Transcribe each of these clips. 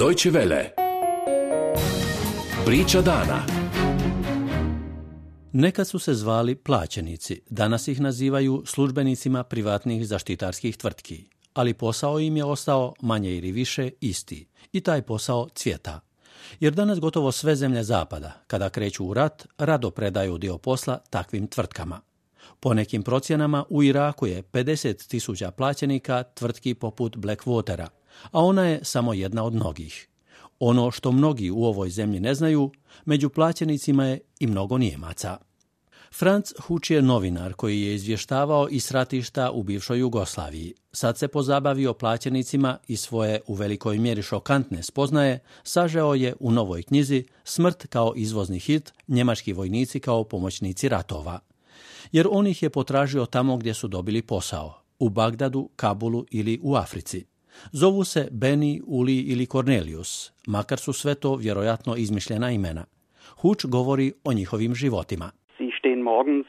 Deutsche Welle. Priča dana. Nekad su se zvali plaćenici, danas ih nazivaju službenicima privatnih zaštitarskih tvrtki, ali posao im je ostao manje ili više isti i taj posao cvjeta. Jer danas gotovo sve zemlje zapada, kada kreću u rat, rado predaju dio posla takvim tvrtkama. Po nekim procjenama u Iraku je 50.000 plaćenika tvrtki poput Blackwatera, a ona je samo jedna od mnogih. Ono što mnogi u ovoj zemlji ne znaju, među plaćenicima je i mnogo Nijemaca. Franz Huč je novinar koji je izvještavao iz ratišta u bivšoj Jugoslaviji. Sad se pozabavio plaćenicima i svoje u velikoj mjeri šokantne spoznaje sažeo je u novoj knjizi Smrt kao izvozni hit, njemački vojnici kao pomoćnici ratova. Jer on ih je potražio tamo gdje su dobili posao, u Bagdadu, Kabulu ili u Africi. Zovu se Beni, Uli ili Cornelius, makar su sve to vjerojatno izmišljena imena. Huč govori o njihovim životima. Sie stehen morgens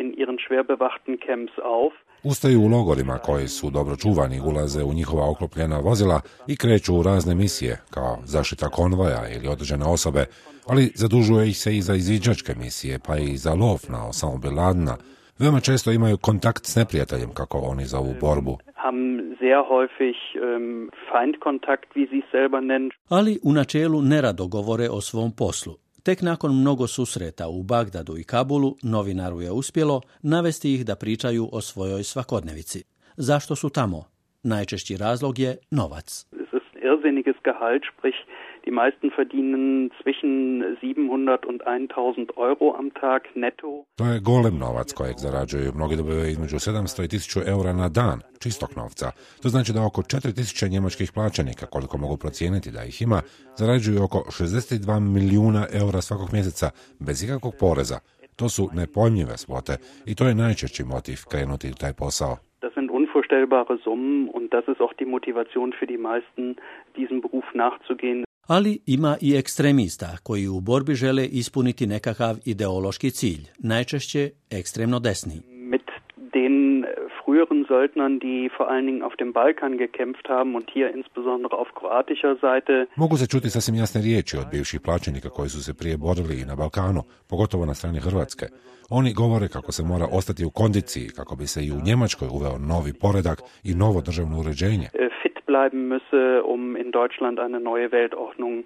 in ihren schwer bewachten Camps auf. Ustaju u logorima koji su dobro čuvani, ulaze u njihova oklopljena vozila i kreću u razne misije, kao zaštita konvoja ili određene osobe, ali zadužuje ih se i za izviđačke misije, pa i za lov na Osama Bin Ladena. Veoma često imaju kontakt s neprijateljem, kako oni zovu borbu. Sehr häufig Feindkontakt, wie sie selber nennen. Ali u načelu nerado govore o svom poslu. Tek nakon mnogo susreta u Bagdadu i Kabulu, novinaru je uspjelo navesti ih da pričaju o svojoj svakodnevici. Zašto su tamo? Najčešći razlog je novac. Es ist irrsinniges Gehalt, sprich die meisten verdienen zwischen 700 und 1000 Euro am Tag netto. To je golem novac kojeg zarađuju. Mnogi dobivaju između 700 i 1000 eura na dan, čistog novca. To znači da oko 4000 njemačkih plaćenika, koliko mogu procijeniti da ih ima, zarađuju oko 62 milijuna eura svakog mjeseca, bez ikakvog poreza. To su nepojmljive svote i to je najčešći motiv krenuti u taj posao. Das sind unvorstellbare Summen und das ist auch die Motivation für die meisten, diesem Beruf nachzugehen. Ali ima i ekstremista koji u borbi žele ispuniti nekakav ideološki cilj, najčešće ekstremno desni. Mit den früheren Söldnern, die vor allen Dingen auf dem Balkan gekämpft haben und hier insbesondere auf kroatischer Seite. Mogu se čuti sasvim jasne riječi od bivših plaćenika koji su se prije borili i na Balkanu, pogotovo na strani Hrvatske. Oni govore kako se mora ostati u kondiciji, kako bi se i u Njemačkoj uveo novi poredak i novo državno uređenje. Fit bleiben müsse, um in Deutschland eine neue Weltordnung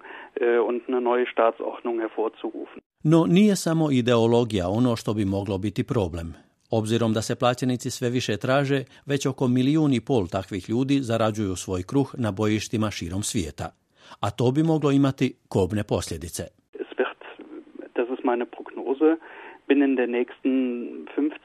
und eine neue Staatsordnung hervorzurufen. No nije samo ideologija ono što bi moglo biti problem. Obzirom da se plaćenici sve više traže, već oko 1,5 milijuna takvih ljudi zarađuju svoj kruh na bojištima širom svijeta. A to bi moglo imati kobne posljedice. Das ist meine Prognose, binnen der nächsten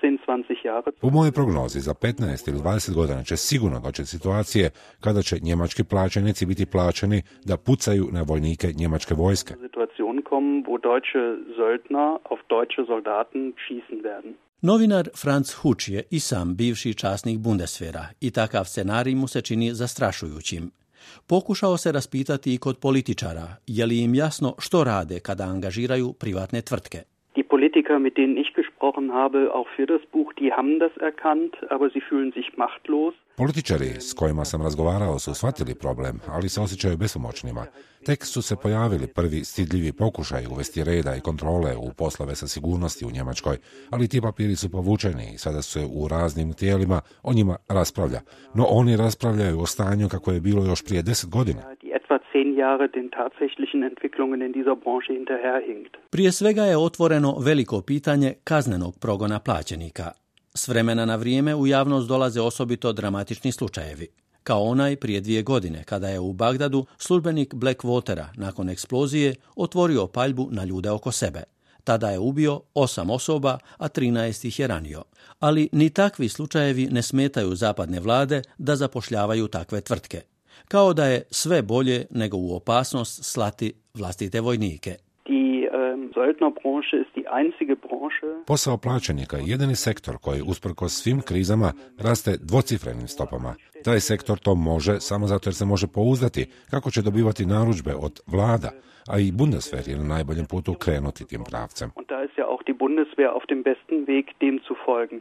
15-20 Jahre. U mojoj prognozi za 15 ili 20 godina će sigurno doći situacije kada će njemački plaćenici biti plaćeni da pucaju na vojnike njemačke vojske. Situation kommen, wo deutsche Söldner auf deutsche Soldaten schießen werden. Novinar Franz Huč je i sam bivši časnik Bundeswehra i takav scenarij mu se čini zastrašujućim. Pokušao se raspitati i kod političara, je li im jasno što rade kada angažiraju privatne tvrtke. Die Politiker, mit denen ich gesprochen habe, auch für das Buch, die haben das erkannt, aber sie fühlen sich machtlos. Političari s kojima sam razgovarao su shvatili problem, ali se osjećaju bespomoćnima. Tek su se pojavili prvi stidljivi pokušaj uvesti reda i kontrole u poslove sa sigurnosti u Njemačkoj, ali ti papiri su povučeni i sada se u raznim tijelima o njima raspravlja. No oni raspravljaju o stanju kako je bilo još prije 10 godina. Etwa 10 Jahre den tatsächlichen Entwicklungen in dieser Branche hinterherhinkt. Prije svega je otvoreno veliko pitanje kaznenog progona plaćenika. S vremena na vrijeme u javnost dolaze osobito dramatični slučajevi, kao onaj prije 2 godine kada je u Bagdadu službenik Blackwatera nakon eksplozije otvorio paljbu na ljude oko sebe. Tada je ubio 8 osoba, a 13 ih je ranio. Ali ni takvi slučajevi ne smetaju zapadne vlade da zapošljavaju takve tvrtke. Kao da je sve bolje nego u opasnost slati vlastite vojnike. Söldnerbranche ist die einzige Branche. Posao plaćenika je jedini sektor koji usprkos svim krizama raste dvocifrenim stopama. Taj sektor to može samo zato jer se može pouzdati kako će dobivati narudžbe od vlada, a i Bundeswehr je na najboljem putu krenuti tim pravcem. Und da ist ja auch die Bundeswehr auf dem besten Weg, dem zu folgen.